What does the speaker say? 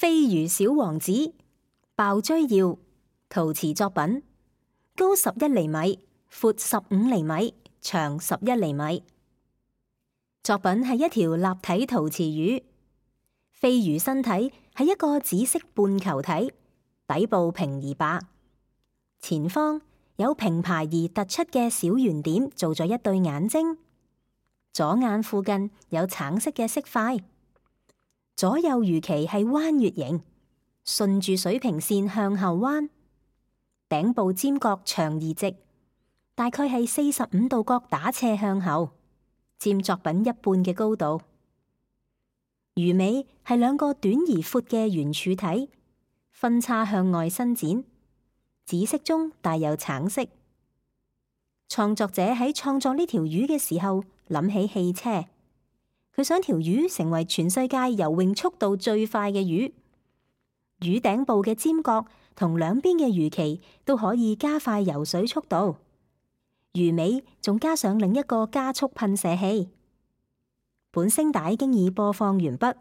飛魚小王子，鮑追耀，陶瓷作品，高11厘米，闊15厘米，長11厘米。作品係一條立體陶瓷魚，飛魚身體係一個紫色半球體，底部平而白，前方有平排而突出嘅小圓點做咗一對眼睛，左眼附近有橙色嘅色塊，左右魚鰭係彎月形，順住水平線向後彎，頂部尖角長而直，大概係45度角打斜向後，佔作品一半嘅高度。魚尾係兩個短而闊嘅圓柱體，分叉向外伸展，紫色中帶有橙色。創作者喺創作呢條魚嘅時候諗起汽車，佢想條魚成為全世界游泳速度最快嘅魚。魚頂部嘅尖角同兩邊嘅魚鰭都可以加快游水速度，魚尾仲加上另一個加速噴射器。本聲帶經已播放完畢。